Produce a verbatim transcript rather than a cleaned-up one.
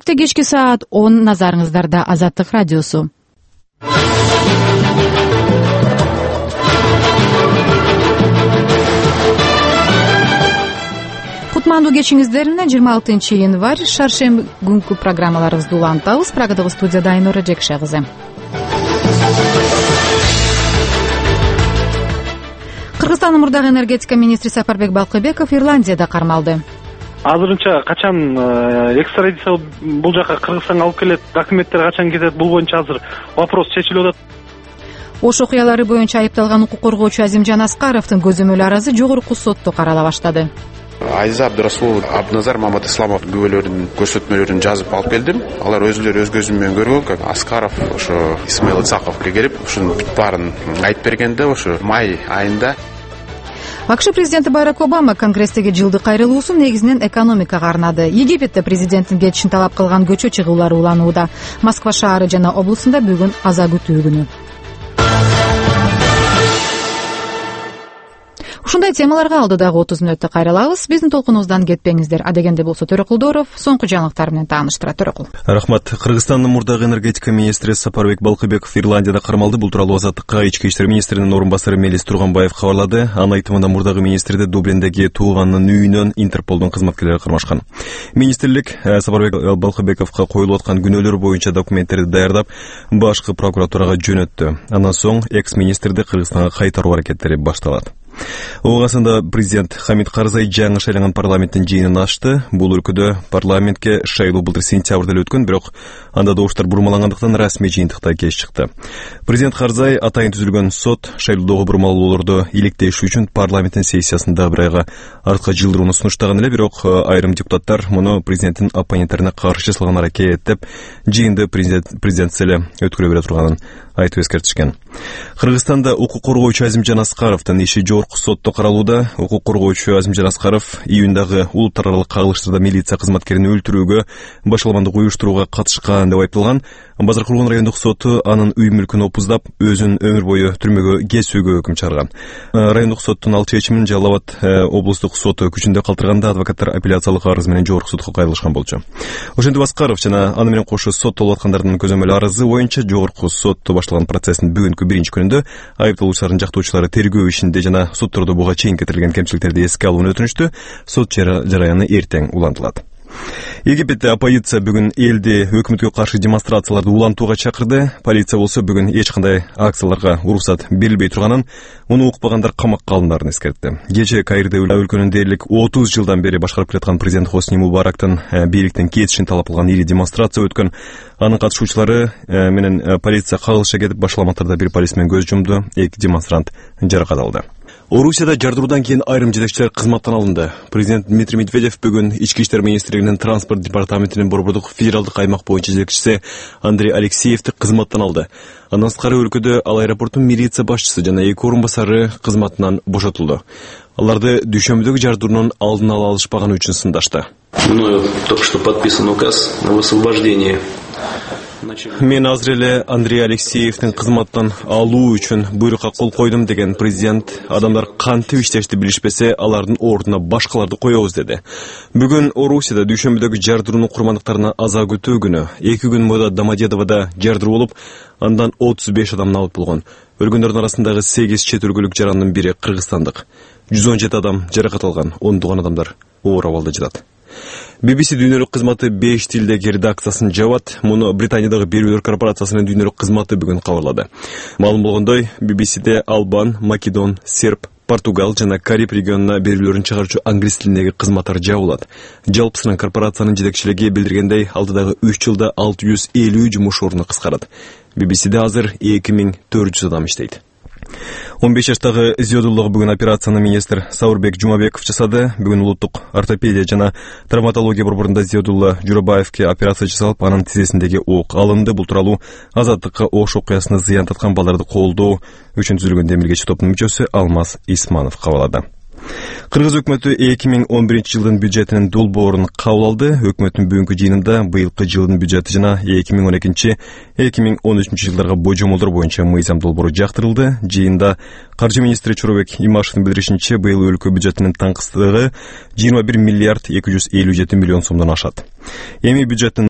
Кенттикте кечки саат он, назарыңыздарда Азаттык радиосу. Кутмандуу кечиңиздер менен жыйырма алтынчы январь шаршемби күнкү программаларыбызды улантабыз. Прагадагы студияда Айнура Жекше кызы. Кыргызстандын мурдагы энергетика министри Сапарбек Балкыбеков Ирландияда кармалды. Азырынча качан экстрадиция бул жака Кыргызстанга алып келет, документтер качан кетет, бул боюнча азыр вопрос чечилип атат. Ош окуялары боюнча айыпталган укук коргоочу Азимжан Аскаровдун көзөмөл аразы жогорку сотто карала баштады. Айза Абдурасулов, Абназар Маматисламов күбөлөрүнүн көрсөтмөлөрүн жазып алып келдим. Алар өзүлөрү өз көзүм менен көргөн, как Аскаров ошо Исмаил Исаковго келип, ушунун бүт баарын айтып бергенде ошо май айында. АКШ президенти Барак Обама Конгресстеги жылдык кайрылуусун негизинен экономикага арнады. Египетте президенттин кетишин талап кылган көчө чыгуулары уланууда. Москва шаары жана облусунда бүгүн аза күтүү күнү. Ушундай темаларга алдыдагы отуз мүнөттө кайрылабыз. Биздин толкунубуздан кетпеңиздер. Адегенде болсо Төрөкулдоров соңку жаңылыктар менен тааныштыра. Төрөкул. Рахмат. Кыргызстандын мурдагы энергетика министри Сапарбек Балкыбеков Ирландияда кармалды. Бул тууралуу Азаттыкка ички иштер министринин орун басары Мелис Турганбаев кабарлады. Анын айтымында мурдагы министрди Дублиндеги тууганынын үйүнөн Интерполдун кызматкерлери кармашкан. Министрлик Сапарбек Балкыбековго коюлуп аткан күнөөлөр боюнча документтерди даярдап, башкы прокуратурага жөнөттү. Андан соң экс-министрди Кыргызстанга кайтаруу аракеттери башталат. Оңасында президент Хамид Карзай жаңы шайланган парламенттин жыйынын ачты. Бул өлкөдө парламентке шайлоо былтыр сентябрда эле өткөн, бирок анда добуштар бурмалангандыктан расмий жыйынтыкта кеч чыкты. Президент Карзай атайын түзүлгөн сот шайлоодогу бурмалоолорду иликтеши үчүн парламенттин сессиясында бир айга артка жылдырууну сунуштаган эле, бирок айрым депутаттар муну президенттин оппоненттерине каршы жасалган аракет деп жыйынды президент президент эле өткөрө бере турганын айтып эскертишкен. Кыргызстанда укук коргоочу Азимжан Аскаровдун иши жогорку сотто каралууда. Укук коргоочу Азимжан Аскаров июндагы улуттар аралык кагылыштарда милиция кызматкерин өлтүрүүгө, башаламандык уюштурууга катышкан деп айыпталган. Базар Кулгун райондук соту анын үй мүлкүн опуздап, өзүн өмүр бою түрмөгө кесүүгө өкүм чыгарган. Райондук соттун ал чечимин Жалал Абад облустук соту күчүндө калтырганда адвокаттар апелляциялык арыз менен жогорку сотко кайрылышкан болчу. Ошентип Аскаров жана аны менен кошо соттолуп аткандардын көзөмөл арызы боюнча жогорку сотто башталган процесстин бүгүнкү биринчи күнүндө айыпталуучулардын жактоочулары тергөө ишинде жана соттордо буга чейин кетирилген кемчиликтерди эске алууну өтүнүштү. Сот жараяны эртең улантылат. Египетте оппозиция бүгүн элди өкмөткө каршы демонстрацияларды улантууга чакырды. Полиция болсо бүгүн эч кандай акцияларга уруксат берилбей турганын, муну укпагандар камакка алындарын эскертти. Кечээ Каирде өлкөнүн дээрлик отуз жылдан бери башкарып келаткан президент Хосни Мубарактын бийликтен кетишин талап кылган ири демонстрация өткөн. Анын катышуучулары менен полиция кагылыша кетип, башаламаттарда бир полисмен көз жумду, эки демонстрант жаракат алды. Орусияда жардыруудан кийин айрым жетекчилер кызматтан алынды. Президент Дмитрий Медведев бүгүн ички иштер министрлигинин транспорт департаментинин Борбордук федералдык аймак боюнча жетекчиси Андрей Алексеевди кызматтан алды. Андан сырткары өлкөдө ал аэропорттун милиция башчысы жана эки орун басары кызматынан бошотулду. Аларды дүйшөмбүдөгү жардыруунун алдын ала алышпаганы үчүн сындашты. Мною только что подписан указ на высвобождение. Мен азыр эле Андрей Алексеевдин кызматтан алуу үчүн буйрукка кол койдум деген президент, адамдар кантип иштешти билишпесе, алардын ордуна башкаларды коебуз деди. Бүгүн Орусияда дүйшөмбүдөгү жардыруунун курмандыктарына аза күтүү күнү. эки күн мурда Домодедоводо жардыруу болуп, андан отуз беш адам набыт болгон. Өлгөндөрдүн арасындагы сегиз чет өлкөлүк жарандын бири кыргызстандык. жүз он жети адам жаракат алган, ондогон адамдар оор абалда жатат. би би си дүйнөлүк кызматы беш тилдеги редакциясын жабат. Муну Британиядагы берүүлөр корпорациясынын дүйнөлүк кызматы бүгүн кабарлады. Маалым болгондой, би би сиде албан, македон, серб, Португал жана Кариб регионуна берүүлөрүн чыгаруучу англис тилиндеги кызматтар жабылат. Жалпысынан корпорациянын жетекчилиги билдиргендей, алдыдагы үч жылда алты жүз элүү жумуш орну кыскарат. би би сиде азыр эки миң төрт жүз адам иштейт. он беш жаштагы Зиодуллого бүгүн операцияны министр Саурбек Жумабеков жасады. Бүгүн улуттук ортопедия жана травматология борборунда Зиодулла Журабаевке операция жасалып, анын тизесиндеги ок алынды. Бул тууралуу Азаттыкка Ош окуясына зыян таткан балдарды колдоо үчүн түзүлгөн демилгечи топтун мүчөсү Алмаз Исманов кабарлады. Кыргыз өкмөтү эки миң он биринчи жылдын бюджетинин долбоорун кабыл алды. Өкмөттүн бүгүнкү жыйынында быйылкы жылдын бюджети жана эки миң он экинчи — эки миң он үчүнчү жылдарга божомолдор боюнча мыйзам долбоору жактырылды. Жыйында каржы министри Чоробек Имашевдин билдиришинче, быйыл өлкө бюджетинин таңкыстыгы жыйырма бир миллиард эки жүз элүү жети миллион сомдон ашат. Эми бюджеттин